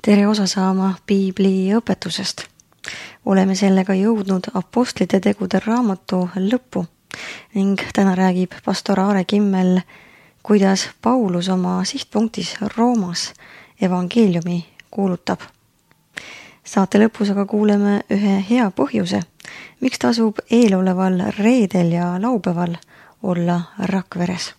tere osa saama piibli õpetusest. Oleme sellega jõudnud Apostlite tegude raamatu lõppu ning täna räägib pastor Aare Kimmel, kuidas Paulus oma sihtpunktis Roomas evangeeliumi kuulutab. Saate lõpus aga kuuleme ühe hea põhjuse, miks tasub eeloleval reedel ja laupäeval olla Rakveres.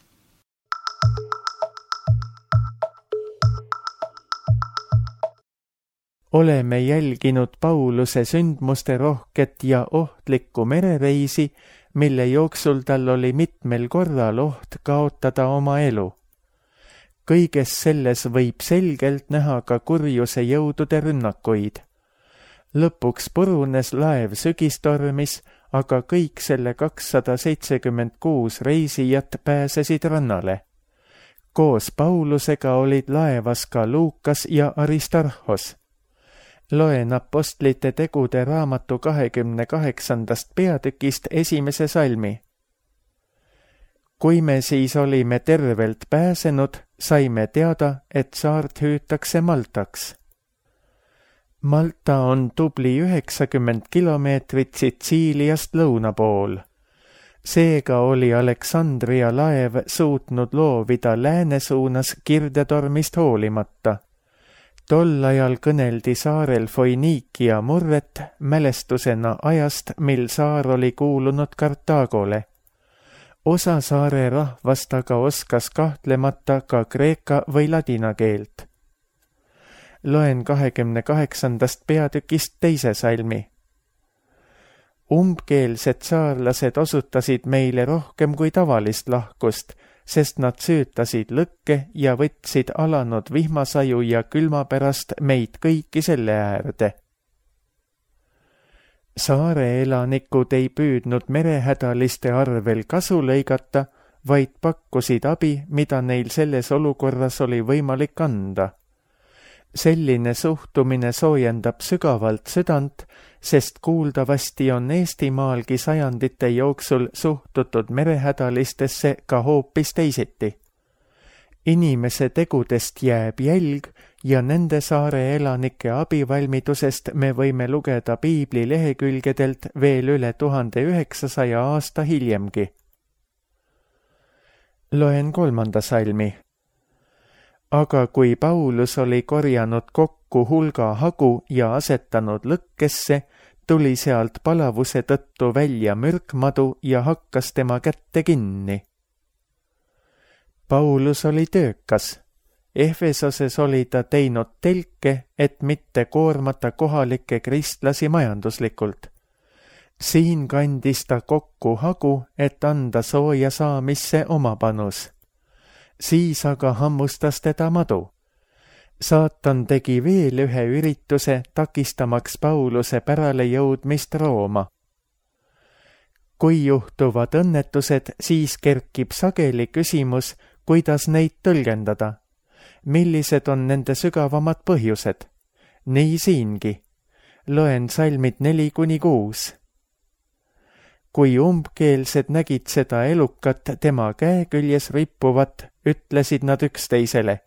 Oleme jälginud Pauluse sündmuste rohket ja ohtlikku merereisi, mille jooksul tal oli mitmel korral oht kaotada oma elu. Kõiges selles võib selgelt näha ka kurjuse jõudude rünnakuid. Lõpuks purunes laev sügistormis, aga kõik selle 276 reisijat pääsesid rannale. Koos Paulusega olid laevas ka Luukas ja Aristarhos. Loen Apostlite tegude raamatu 28. peatükist esimese salmi. Kui me siis olime tervelt pääsenud, saime teada, et saart hüütakse Maltaks. Malta on tubli 90 kilomeetrit Sitsiiliast lõuna pool. Seega oli Aleksandria laev suutnud loovida lääne suunas kirdetormist hoolimata. Tol ajal kõneldi saarel Foiniikia murret mälestusena ajast, mil saar oli kuulunud Kartaagole. Osa saare rahvast aga oskas kahtlemata ka kreeka või ladina keelt. Loen 28. peatükist teise salmi. Umbkeelsed saarlased osutasid meile rohkem kui tavalist lahkust, sest nad süütasid lõkke ja võtsid alanud vihmasaju ja külma pärast meid kõiki selle äärde. Saare elanikud ei püüdnud merehädaliste arvel kasu lõigata, vaid pakkusid abi, mida neil selles olukorras oli võimalik anda. Selline suhtumine soojendab sügavalt südant, sest kuuldavasti on Eestimaalgi sajandite jooksul suhtutud merehädalistesse ka hoopis teisiti. Inimese tegudest jääb jälg ja nende saare elanike abivalmidusest me võime lugeda piibli lehekülgedelt veel üle 1900 aasta hiljemgi. Loen 3. salmi. Aga kui Paulus oli korjanud kokku hulga hagu ja asetanud lõkkesse, tuli sealt palavuse tõttu välja mürkmadu ja hakkas tema kätte kinni. Paulus oli töökas. Efesoses oli ta teinud telke, et mitte koormata kohalikke kristlasi majanduslikult. Siin kandis ta kokku hagu, et anda sooja saamisse oma panus. Siis aga hammustas teda madu. Saatan tegi veel ühe ürituse, takistamaks Pauluse pärale jõudmist Rooma. Kui juhtuvad õnnetused, siis kerkib sageli küsimus, kuidas neid tõlgendada. Millised on nende sügavamad põhjused? Nii siingi. Loen salmid 4-6. Kui umbkeelsed nägid seda elukat tema käeküljes rippuvat, ütlesid nad üksteisele.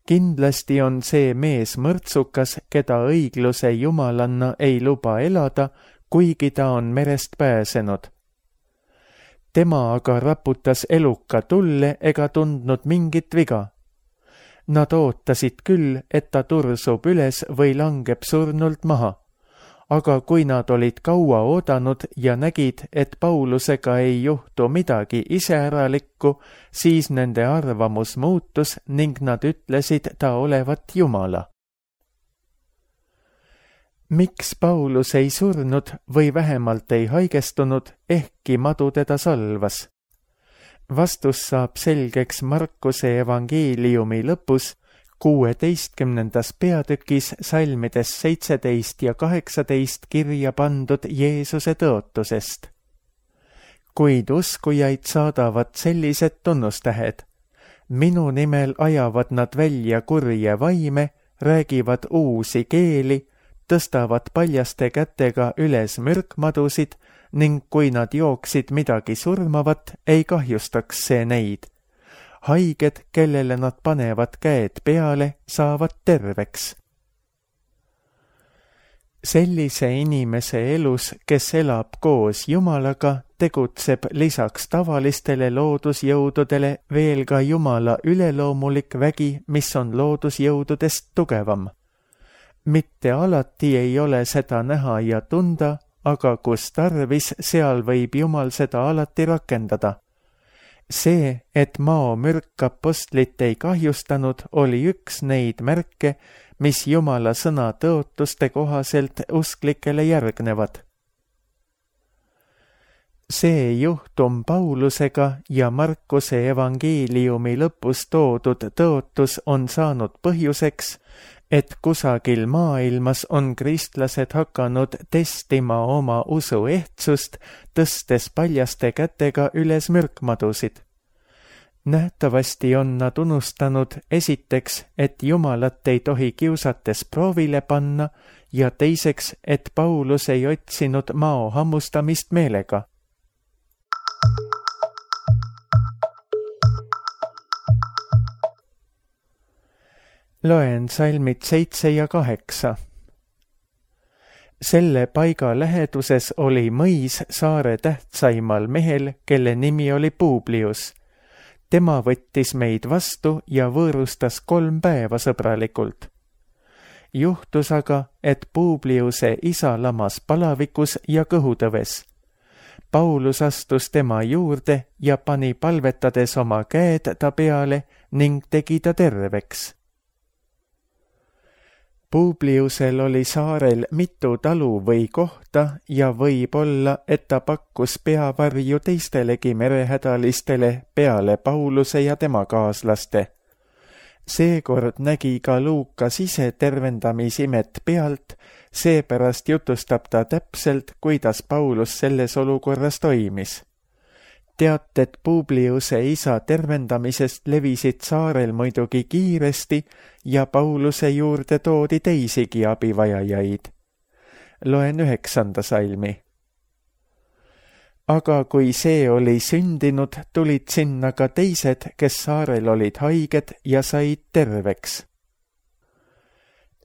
Kindlasti on see mees mõrtsukas, keda õigluse jumalanna ei luba elada, kuigi ta on merest pääsenud. Tema aga raputas eluka tulle ega tundnud mingit viga. Nad ootasid küll, et ta tursub üles või langeb surnult maha. Aga kui nad olid kaua oodanud ja nägid, et Paulusega ei juhtu midagi iseäralikku, siis nende arvamus muutus ning nad ütlesid ta olevat Jumala. Miks Paulus ei surnud või vähemalt ei haigestunud, ehkki madu teda salvas? Vastus saab selgeks Markuse evangeeliumi lõpus, 16. peatükis salmides 17 ja 18 kirja pandud Jeesuse tõotusest. Kuid uskujaid saadavad sellised tunnustähed. Minu nimel ajavad nad välja kurje vaime, räägivad uusi keeli, tõstavad paljaste kätega üles mürkmadusid ning kui nad jooksid midagi surmavat, ei kahjustaks see neid. Haiged, kellele nad panevad käed peale, saavad terveks. Sellise inimese elus, kes elab koos Jumalaga, tegutseb lisaks tavalistele loodusjõududele veel ka Jumala üleloomulik vägi, mis on loodusjõududest tugevam. Mitte alati ei ole seda näha ja tunda, aga kus tarvis, seal võib Jumal seda alati rakendada. See, et maomürk apostlit ei kahjustanud, oli üks neid märke, mis Jumala sõna tõotuste kohaselt usklikele järgnevad. See juhtum Paulusega ja Markuse evangeeliumi lõpus toodud tõotus on saanud põhjuseks, et kusagil maailmas on kristlased hakanud testima oma usu ehtsust, tõstes paljaste kätega üles mürkmadusid. Nähtavasti on nad unustanud esiteks, et Jumalat ei tohi kiusates proovile panna ja teiseks, et Paulus ei otsinud mao hammustamist meelega. Loen salmid 7 ja 8. Selle paiga läheduses oli mõis saare tähtsaimal mehel, kelle nimi oli Publius. Tema võttis meid vastu ja võõrustas 3 päeva sõbralikult. Juhtus aga, et Publiuse isa lamas palavikus ja kõhutõves. Paulus astus tema juurde ja pani palvetades oma käed ta peale ning tegi ta terveks. Publiusel oli saarel mitu talu või kohta ja võib olla, et ta pakkus peavarju teistelegi merehädalistele peale Pauluse ja tema kaaslaste. Seekord nägi ka Luukas ise tervendamisimet pealt, seepärast jutustab ta täpselt, kuidas Paulus selles olukorras toimis. Teated Publiuse isa tervendamisest levisid saarel muidugi kiiresti ja Pauluse juurde toodi teisigi abivajajaid. Loen 9. salmi. Aga kui see oli sündinud, tulid sinna ka teised, kes saarel olid haiged ja said terveks.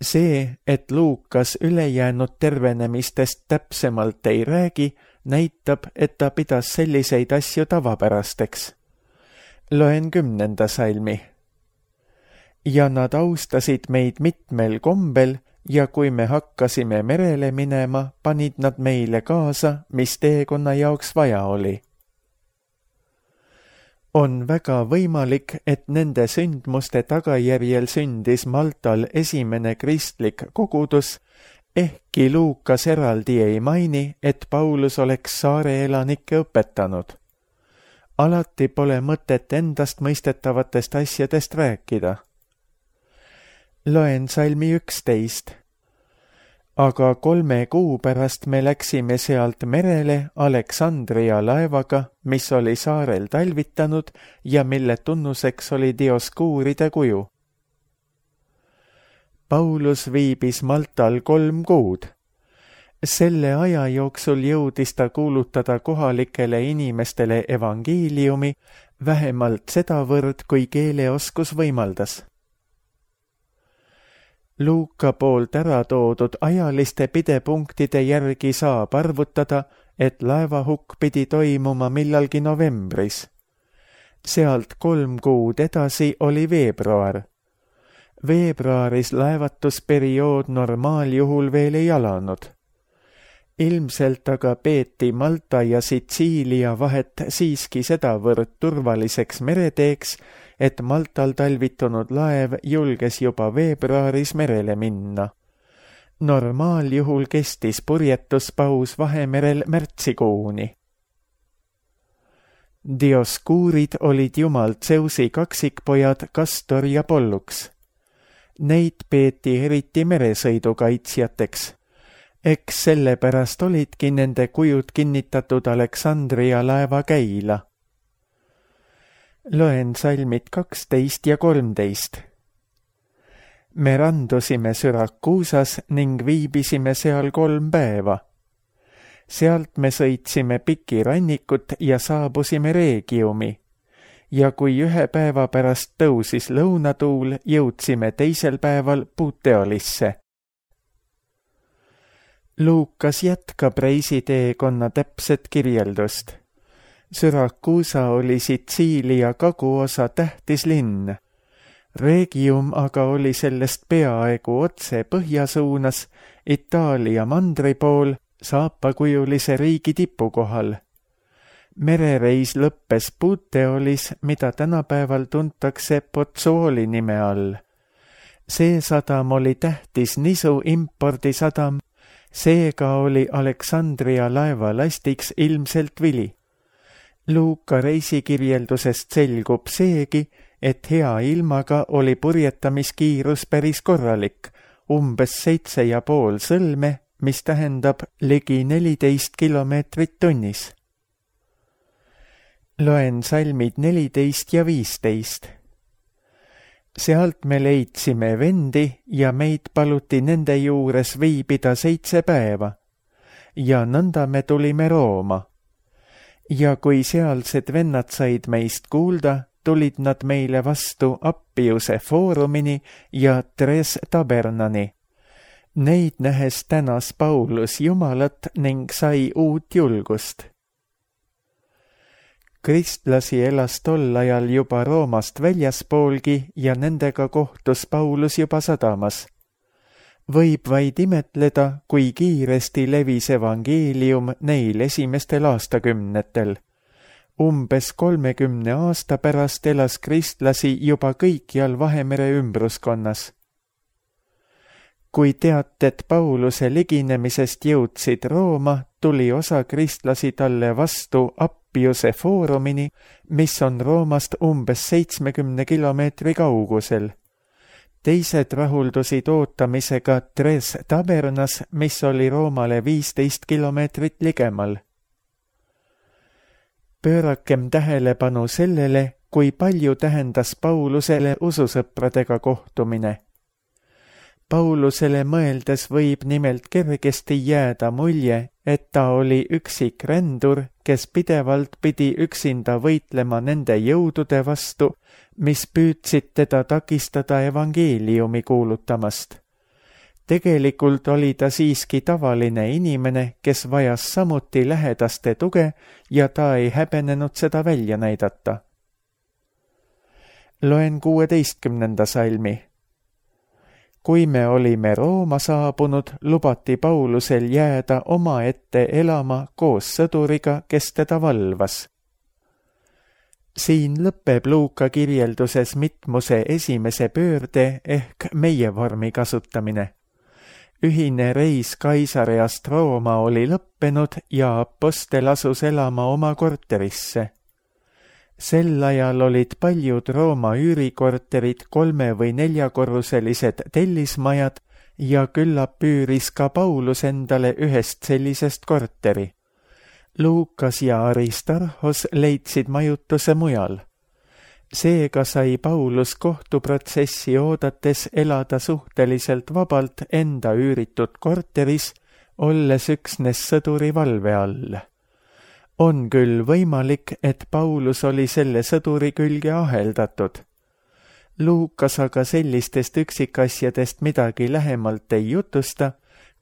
See, et Luukas ülejäänud tervenemistest täpsemalt ei räägi, näitab, et ta pidas selliseid asju tavapärasteks. Loen 10. salmi. Ja nad austasid meid mitmel kombel ja kui me hakkasime merele minema, panid nad meile kaasa, mis teekonna jaoks vaja oli. On väga võimalik, et nende sündmuste tagajärjel sündis Maltal esimene kristlik kogudus, ehkki Luukas eraldi ei maini, et Paulus oleks saare elanikke õpetanud. Alati pole mõtet endast mõistetavatest asjadest rääkida. Loen salmi 11. Aga 3 kuu pärast me läksime sealt merele Aleksandria laevaga, mis oli saarel talvitanud ja mille tunnuseks oli Dioskuuride kuju. Paulus viibis Maltal 3 kuud. Selle aja jooksul jõudis ta kuulutada kohalikele inimestele evangeeliumi vähemalt sedavõrd, kui keeleoskus võimaldas. Luuka poolt ära toodud ajaliste pidepunktide järgi saab arvutada, et laevahukk pidi toimuma millalgi novembris. Sealt 3 kuud edasi oli veebruar. Veebruaris laevatusperiood normaaljuhul veel ei alanud. Ilmselt aga peeti Malta ja Sitsiilia vahet siiski sedavõrd turvaliseks mereteeks, et Maltal talvitunud laev julges juba veebruaris merele minna. Normaaljuhul kestis purjetuspaus Vahemerel märtsikuuni. Dioskuurid olid jumal Zeusi kaksikpojad Kastor ja Pollux. Neid peeti eriti meresõidukaitsjateks. Eks sellepärast olidki nende kujud kinnitatud Aleksandria laeva käila. Loen salmid 12 ja 13. Me randusime Syrakuusas ning viibisime seal 3 päeva. Sealt me sõitsime pikirannikut ja saabusime Regiumi. Ja kui 1 päeva pärast tõusis lõunatuul, jõudsime 2. päeval Puteolisse. Luukas jätkab reisiteekonna täpset kirjeldust. Syrakuusa oli Sitsiilia kaguosa tähtis linn. Regium aga oli sellest peaaegu otse põhjasuunas Itaalia mandri pool saapakujulise riigi tipukohal. Merereis lõppes Puteolis, mida tänapäeval tuntakse Pozzuoli nime all. See sadam oli tähtis nisu impordisadam, seega oli Aleksandria laevalastiks ilmselt vili. Luuka reisikirjeldusest selgub seegi, et hea ilmaga oli purjetamiskiirus päris korralik, umbes 7,5 sõlme, mis tähendab ligi 14 kilomeetrit tunnis. Loen salmid 14 ja 15. Sealt me leidsime vendi ja meid paluti nende juures viibida 7 päeva. Ja nõnda me tulime Rooma. Ja kui sealsed vennad said meist kuulda, tulid nad meile vastu Appiuse foorumini ja Tres Tabernani. Neid nähes tänas Paulus Jumalat ning sai uut julgust. Kristlasi elas tol ajal juba Roomast väljaspoolgi ja nendega kohtus Paulus juba sadamas. Võib vaid imetleda, kui kiiresti levis evangeelium neil esimestel aastakümnetel. Umbes 30 aasta pärast elas kristlasi juba kõikjal Vahemere ümbruskonnas. Kui teated Pauluse liginemisest jõudsid Rooma, tuli osa kristlasi talle vastu Appiuse foorumini, mis on Roomast umbes 70 kilomeetri kaugusel. Teised rahuldusid ootamisega Tres Tabernas, mis oli Roomale 15 kilomeetrit ligemal. Pöörakem tähelepanu sellele, kui palju tähendas Paulusele ususõpradega kohtumine. Paulusele mõeldes võib nimelt kergesti jääda mulje, et ta oli üksik rändur, kes pidevalt pidi üksinda võitlema nende jõudude vastu, mis püüdsid teda takistada evangeeliumi kuulutamast. Tegelikult oli ta siiski tavaline inimene, kes vajas samuti lähedaste tuge ja ta ei häbenenud seda välja näidata. Loen 16. salmi. Kui me olime Rooma saabunud, lubati Paulusel jääda omaette elama koos sõduriga, kes teda valvas. Siin lõpeb Luuka kirjelduses mitmuse esimese pöörde ehk meie vormi kasutamine. Ühine reis Kaisareast Rooma oli lõppenud ja apostel asus elama oma korterisse. Sel ajal olid paljud Rooma üürikorterid 3- või 4-korruselised tellismajad ja küllap üüris ka Paulus endale ühest sellisest korteri. Luukas ja Aristarhos leidsid majutuse mujal. Seega sai Paulus kohtuprotsessi oodates elada suhteliselt vabalt enda üüritud korteris, olles üksnes sõduri valve all. On küll võimalik, et Paulus oli selle sõduri külge aheldatud. Luukas aga sellistest üksikasjadest midagi lähemalt ei jutusta,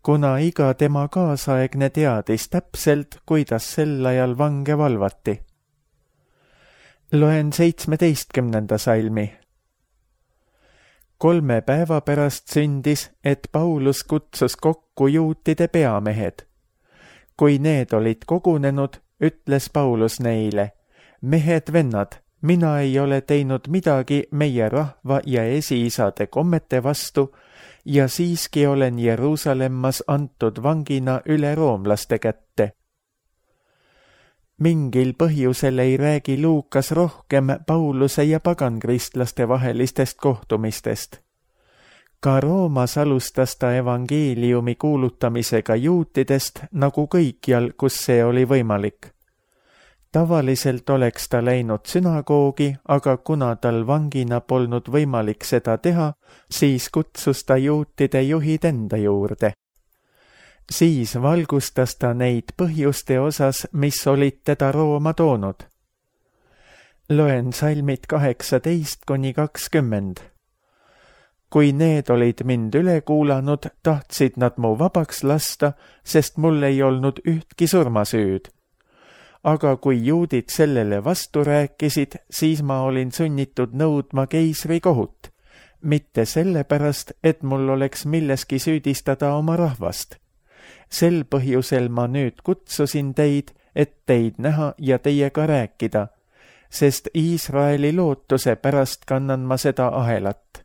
kuna iga tema kaasaegne teadis täpselt, kuidas sel ajal vange valvati. Loen 17. salmi. 3 päeva pärast sündis, et Paulus kutsus kokku juutide peamehed. Kui need olid kogunenud, ütles Paulus neile, mehed vennad, mina ei ole teinud midagi meie rahva ja esiisade kommete vastu ja siiski olen Jeruusalemmas antud vangina üle roomlaste kätte. Mingil põhjusel ei räägi Luukas rohkem Pauluse ja pagankristlaste vahelistest kohtumistest. Ka Roomas alustas ta evangeeliumi kuulutamisega juutidest nagu kõikjal, kus see oli võimalik. Tavaliselt oleks ta läinud sünagoogi, aga kuna tal vangina polnud võimalik seda teha, siis kutsus ta juutide juhid enda juurde. Siis valgustas ta neid põhjuste osas, mis olid teda Rooma toonud. Loen salmid 18–20. kui need olid mind üle kuulanud, tahtsid nad mu vabaks lasta, sest mul ei olnud ühtki surmasüüd. Aga kui juudid sellele vastu rääkisid, siis ma olin sunnitud nõudma keisri kohut, mitte sellepärast, et mul oleks milleski süüdistada oma rahvast. Sel põhjusel ma nüüd kutsusin teid, et teid näha ja teiega rääkida, sest Iisraeli lootuse pärast kannan ma seda ahelat.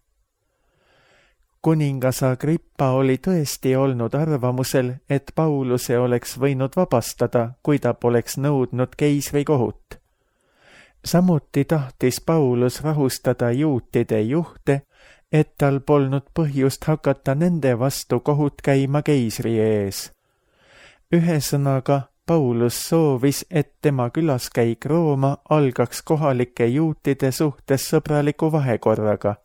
Kuningas Agrippa oli tõesti olnud arvamusel, et Pauluse oleks võinud vabastada, kui ta poleks nõudnud keisri kohut. Samuti tahtis Paulus rahustada juutide juhte, et tal polnud põhjust hakata nende vastu kohut käima keisri ees. Ühesõnaga, Paulus soovis, et tema külaskäik Rooma algaks kohalike juutide suhtes sõbraliku vahekorraga.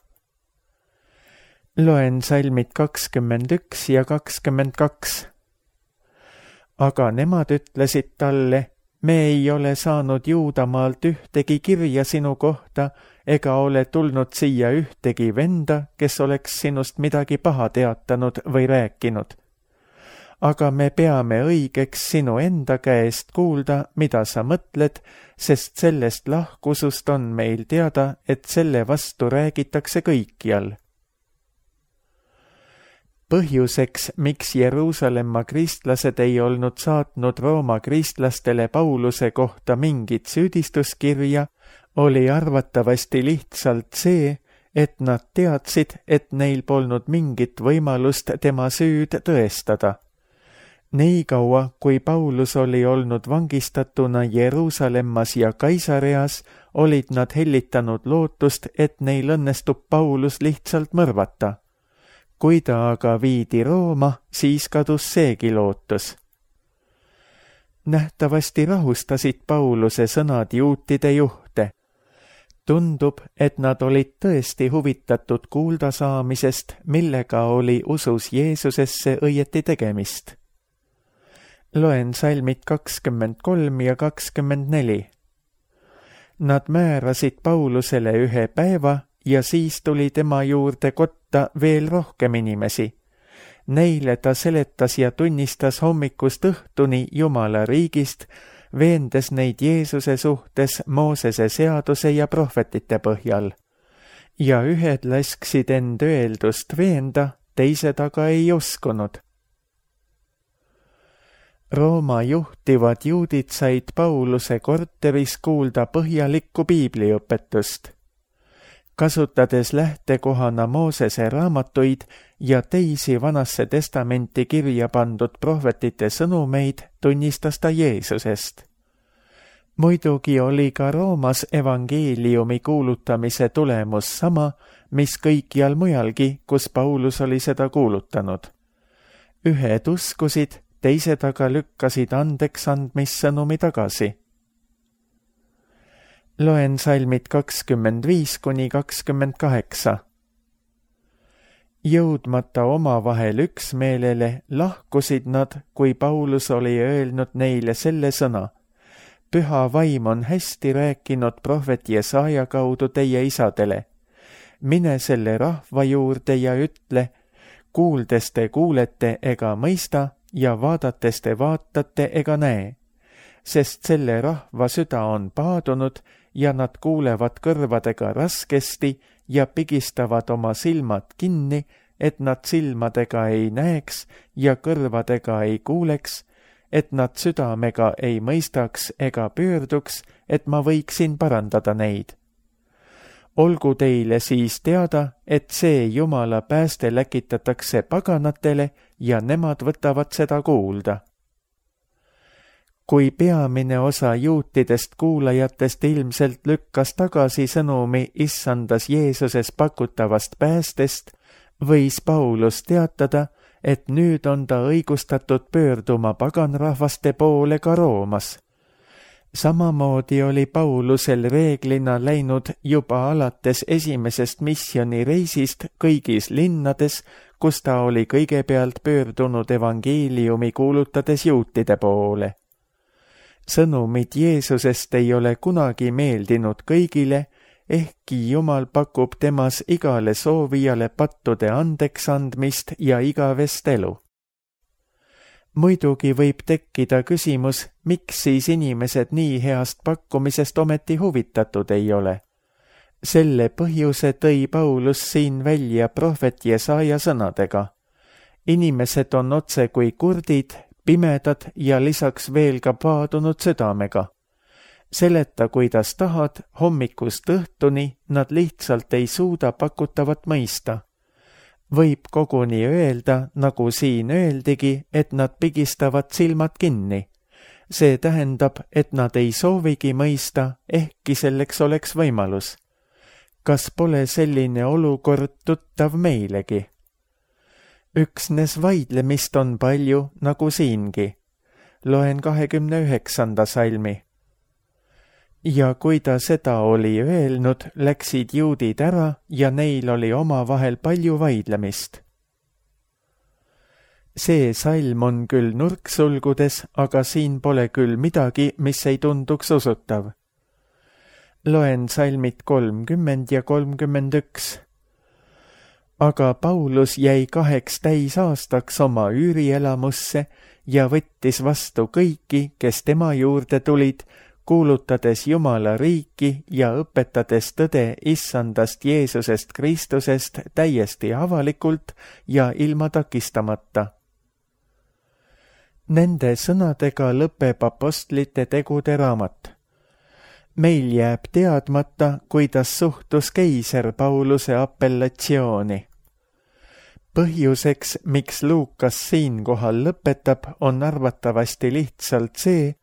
Loen salmid 21 ja 22. Aga nemad ütlesid talle, me ei ole saanud Juudamaalt ühtegi kirja sinu kohta ega ole tulnud siia ühtegi venda, kes oleks sinust midagi paha teatanud või rääkinud. Aga me peame õigeks sinu enda käest kuulda, mida sa mõtled, sest sellest lahkusust on meil teada, et selle vastu räägitakse kõikjal. Põhjuseks, miks Jeruusalemma kristlased ei olnud saatnud Rooma kristlastele Pauluse kohta mingit süüdistuskirja, oli arvatavasti lihtsalt see, et nad teadsid, et neil polnud mingit võimalust tema süüd tõestada. Nii kaua, kui Paulus oli olnud vangistatuna Jeruusalemmas ja Kaisareas, olid nad hellitanud lootust, et neil õnnestub Paulus lihtsalt mõrvata. Kui ta aga viidi Rooma, siis kadus seegi lootus. Nähtavasti rahustasid Pauluse sõnad juutide juhte. Tundub, et nad olid tõesti huvitatud kuulda saamisest, millega oli usus Jeesusesse õieti tegemist. Loen salmid 23 ja 24. Nad määrasid Paulusele ühe päeva ja siis tuli tema juurde kotta veel rohkem inimesi. Neile ta seletas ja tunnistas hommikust õhtuni Jumala riigist, veendes neid Jeesuse suhtes Moosese seaduse ja prohvetite põhjal. Ja ühed lasksid end öeldust veenda, teised aga ei uskunud. Rooma juhtivad juudid said Pauluse korteris kuulda põhjalikku piibliõpetust. Kasutades lähtekohana Moosese raamatuid ja teisi Vanasse testamenti kirja pandud prohvetite sõnumeid, tunnistas ta Jeesusest. Muidugi oli ka Roomas evangeeliumi kuulutamise tulemus sama, mis kõikjal mujalgi, kus Paulus oli seda kuulutanud. Ühed uskusid, teised aga lükkasid andeksandmissõnumi tagasi. Loen salmid 25 kuni 28. Jõudmata omavahel üksmeelele, lahkusid nad, kui Paulus oli öelnud neile selle sõna. Püha vaim on hästi rääkinud prohvet Jesaja kaudu teie isadele. Mine selle rahva juurde ja ütle, kuuldes te kuulete ega mõista ja vaadates te vaatate ega näe. Sest selle rahva süda on paadunud ja nad kuulevad kõrvadega raskesti ja pigistavad oma silmad kinni, et nad silmadega ei näeks ja kõrvadega ei kuuleks, et nad südamega ei mõistaks ega pöörduks, et ma võiksin parandada neid. Olgu teile siis teada, et see Jumala pääste läkitatakse paganatele ja nemad võtavad seda kuulda. Kui peamine osa juutidest kuulajatest ilmselt lükkas tagasi sõnumi issandas Jeesuses pakutavast päästest, võis Paulus teatada, et nüüd on ta õigustatud pöörduma paganrahvaste poole ka Roomas. Samamoodi oli Paulusel reeglina läinud juba alates esimesest missioonireisist kõigis linnades, kus ta oli kõigepealt pöördunud evangeeliumi kuulutades juutide poole. Sõnumid Jeesusest ei ole kunagi meeldinud kõigile ehkki Jumal pakub temas igale soovijale pattude andeks andmist ja igavest elu. Muidugi võib tekkida küsimus, miks siis inimesed nii heast pakkumisest ometi huvitatud ei ole. Selle põhjuse tõi Paulus siin välja prohvet Jesaja sõnadega. Inimesed on otse kui kurdid, pimedad ja lisaks veel ka paadunud südamega. Seleta, kuidas tahad, hommikust õhtuni nad lihtsalt ei suuda pakutavat mõista. Võib koguni öelda, nagu siin öeldigi, et nad pigistavad silmad kinni. See tähendab, et nad ei soovigi mõista, ehkki selleks oleks võimalus. Kas pole selline olukord tuttav meilegi? Üksnes vaidlemist on palju, nagu siingi. Loen 29. salmi. Ja kui ta seda oli öelnud, läksid juudid ära ja neil oli omavahel palju vaidlemist. See salm on küll nurksulgudes, aga siin pole küll midagi, mis ei tunduks usutav. Loen salmid 30 ja 31. Aga Paulus jäi 2 täisaastaks oma üürielamusse ja võttis vastu kõiki, kes tema juurde tulid, kuulutades Jumala riiki ja õpetades tõde issandast Jeesusest Kristusest täiesti avalikult ja ilma takistamata. Nende sõnadega lõpeb apostlite tegude raamat. Meil jääb teadmata, kuidas suhtus keiser Pauluse apellatsiooni. Põhjuseks, miks Luukas siinkohal lõpetab, on arvatavasti lihtsalt see,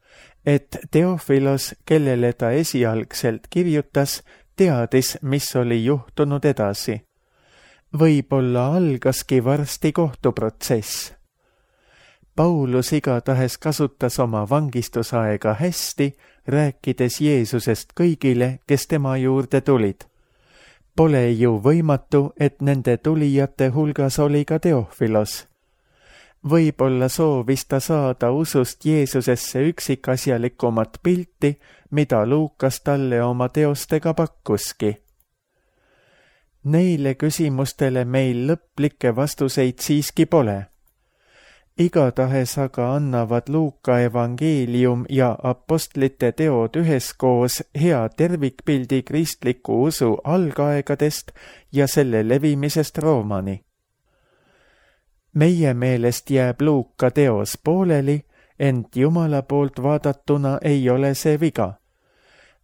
et Teofilos, kellele ta esialgselt kirjutas, teadis, mis oli juhtunud edasi. Võib-olla algaski varsti kohtuprotsess. Paulus igatahes kasutas oma vangistusaega hästi, rääkides Jeesusest kõigile, kes tema juurde tulid. Pole ju võimatu, et nende tulijate hulgas oli ka Teofilos. Võib-olla soovis ta saada usust Jeesusesse üksikasjalikumat pilti, mida Luukas talle oma teostega pakkuski. Neile küsimustele meil lõplikke vastuseid siiski pole. Igatahes aga annavad Luuka evangeelium ja apostlite teod üheskoos hea tervikpildi kristliku usu algaegadest ja selle levimisest Roomani. Meie meelest jääb Luuka teos pooleli, ent Jumala poolt vaadatuna ei ole see viga.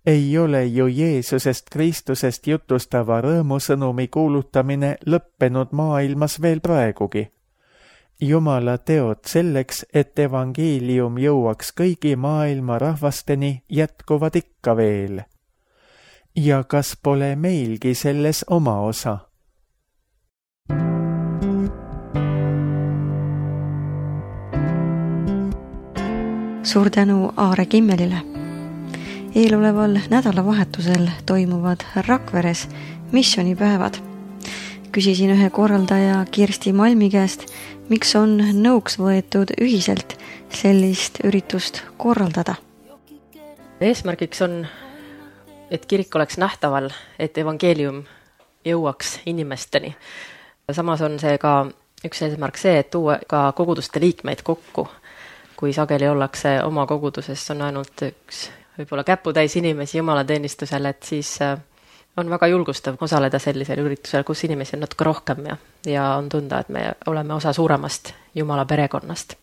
Ei ole ju Jeesusest Kristusest jutustava rõõmusõnumi kuulutamine lõppenud maailmas veel praegugi. Jumala teod selleks, et evangeelium jõuaks kõigi maailma rahvasteni, jätkuvad ikka veel. Ja kas pole meilgi selles oma osa? Suur tänu Aare Kimmelile. Eeloleval nädalavahetusel toimuvad Rakveres missioonipäevad. Küsisin ühe korraldaja Kirsti Malmi käest, miks on nõuks võetud ühiselt sellist üritust korraldada. Eesmärgiks on, et kirik oleks nähtaval, et evangeelium jõuaks inimesteni. Samas on see ka üks eesmärk see, et tuua ka koguduste liikmeid kokku. Kui sageli ollakse oma koguduses, on ainult üks võib-olla käputäis inimesi jumalateenistusel, et siis on väga julgustav osaleda sellisel üritusel, kus inimesi on natuke rohkem ja on tunda, et me oleme osa suuremast Jumala perekonnast.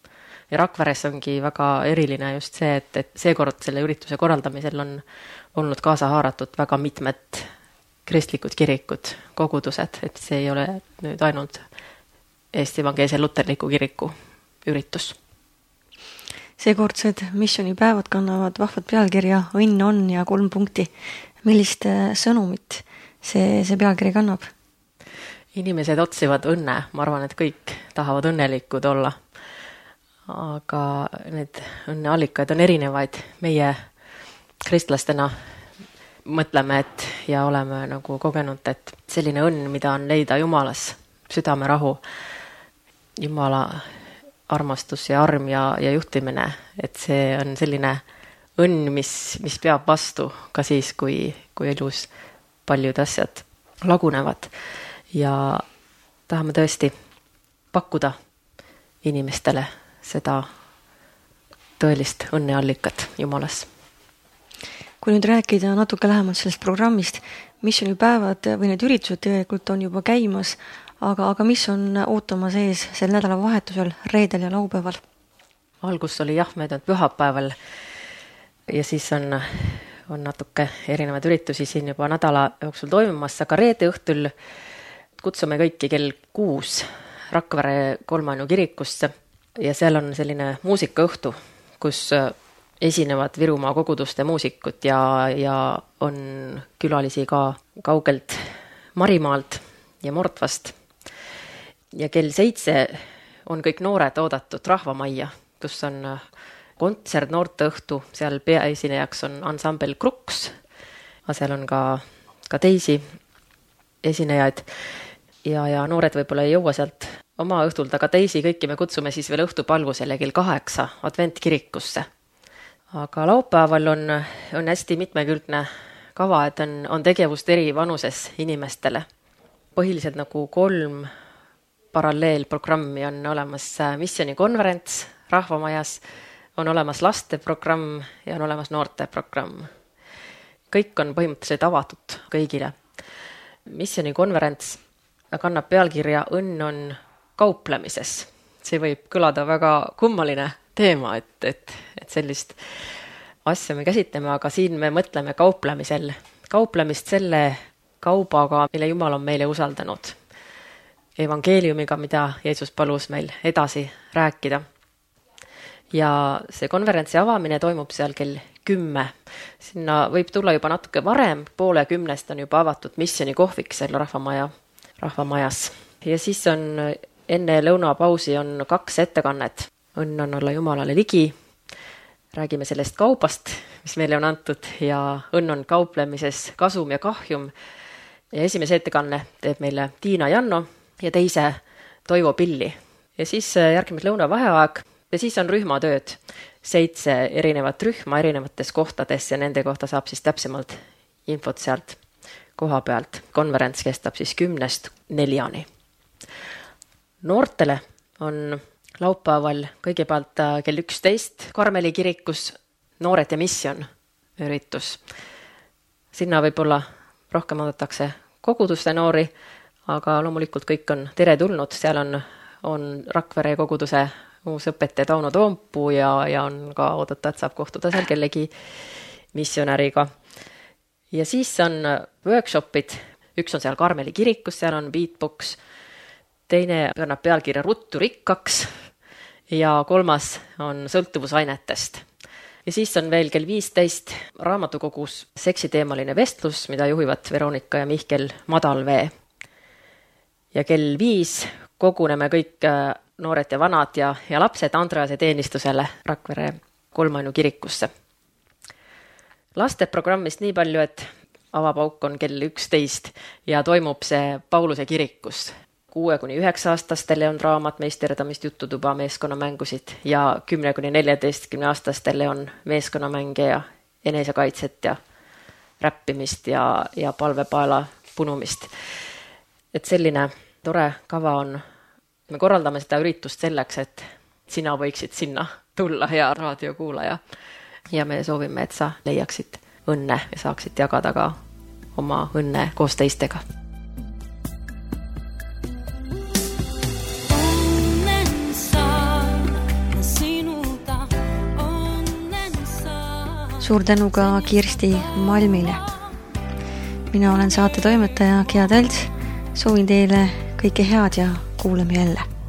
Ja Rakveres ongi väga eriline just see, et seekord selle ürituse korraldamisel on olnud kaasa haaratud väga mitmed kristlikud kirikud, kogudused, et see ei ole nüüd ainult Eesti Evangeelse Luterliku kiriku üritus. Seekordsed missioonipäevad kannavad vahvat pealkirja Õnn on ja 3 punkti. Millist sõnumit see pealkiri kannab? Inimesed otsivad õnne. Ma arvan, et kõik tahavad õnnelikud olla. Aga need õnneallikaid on erinevaid. Meie kristlastena mõtleme, et ja oleme nagu kogenud, et selline õnn, mida on leida Jumalas, südamerahu, Jumala armastus ja arm ja juhtimine, et see on selline õnn, mis peab vastu ka siis, kui elus paljud asjad lagunevad ja tahame tõesti pakkuda inimestele seda tõelist õnneallikat Jumalas. Kui nüüd rääkida natuke lähemalt sellest programmist, missioonipäevad või need üritused tegelikult on juba käimas, aga mis on ootamas ees sel nädalavahetusel, reedel ja laupäeval? Algus oli möödunud pühapäeval ja siis on natuke erinevaid üritusi siin juba nädala jooksul toimumas, aga reede õhtul kutsume kõiki kell 6 Rakvere Kolmainu kirikusse ja seal on selline muusikaõhtu, kus esinevad Virumaa koguduste muusikud ja on külalisi ka kaugelt Marimaalt ja Mordvast. Ja kell 7 on kõik noored oodatud Rahvamajja, kus on kontsert noorteõhtu, seal peaesinejaks on ansambel Kruks, aga seal on ka teisi esinejaid ja noored võib-olla ei jõua sealt oma õhtult, aga teisi kõiki me kutsume siis veel õhtupalvusele kell 8 adventkirikusse. Aga laupäeval on hästi mitmekülgne kava, et on tegevust eri vanuses inimestele. Põhiliselt nagu 3 paralleelprogrammi on olemas missioonikonverents Rahvamajas, on olemas lasteprogramm ja on olemas noorteprogramm. Kõik on põhimõtteliselt avatud kõigile. Missioonikonverents kannab pealkirja Õnn on kauplemises. See võib kõlada väga kummaline teema, et sellist asja me käsitleme, aga siin me mõtleme kauplemist selle kaubaga, mille Jumal on meile usaldanud. Evangeeliumiga, mida Jeesus palus meil edasi rääkida. Ja see konverentsi avamine toimub seal kell 10. Sinna võib tulla juba natuke varem, 9:30 on juba avatud missionikohvik seal Rahvamajas. Ja siis on enne lõunapausi on 2 ettekannet. Õnn on olla Jumalale ligi. Räägime sellest kaubast, mis meile on antud ja õnn on kauplemises kasum ja kahjum. Ja esimese ettekanne teeb meile Tiina Janno ja teise Toivo Pilli. Ja siis järgmine lõunavaheaeg ja siis on rühmatööd. 7 erinevat rühma erinevates kohtades ja nende kohta saab siis täpsemalt infot sealt koha pealt. Konverents kestab siis 10-4. Noortele on laupäeval kõigepealt kell 11 Karmeli kirikus Noored ja misjon üritus. Sinna võib-olla rohkem oodatakse koguduste noori, aga loomulikult kõik on teretulnud. Seal on Rakvere koguduse uus õpetaja Tauno Toompuu ja on ka oodata, et saab kohtuda seal kellegi missionäriga. Ja siis on workshopid. Üks on seal Karmeli kirikus, seal on beatbox. Teine kannab pealkirja Ruttu rikkaks ja 3. on sõltuvusainetest. Ja siis on veel kell 15 raamatukogus seksiteemaline vestlus, mida juhivad Veronika ja Mihkel Madalvee. Ja kell 5 koguneme kõik noored ja vanad ja lapsed Andrease teenistusele Rakvere Kolmainu kirikusse. Lasteprogrammist nii palju, et avapauk on kell 11 ja toimub see Pauluse kirikus. 6-9-aastastele on draamat, meisterdamist, jututuba, meeskonnamängusid ja 10-14-aastastele on meeskonnamänge ja enesekaitset ja räppimist ja palvepaela punumist. Et selline tore kava on. Me korraldame seda üritust selleks, et sina võiksid sinna tulla, hea raadiokuulaja. Ja me soovime, et sa leiaksid õnne ja saaksid jagada ka oma õnne koos teistega. Suur tänu ka Kirsti Malmile. Mina olen saate toimetaja Gea Tälts. Soovin teile kõike head ja kuuleme jälle.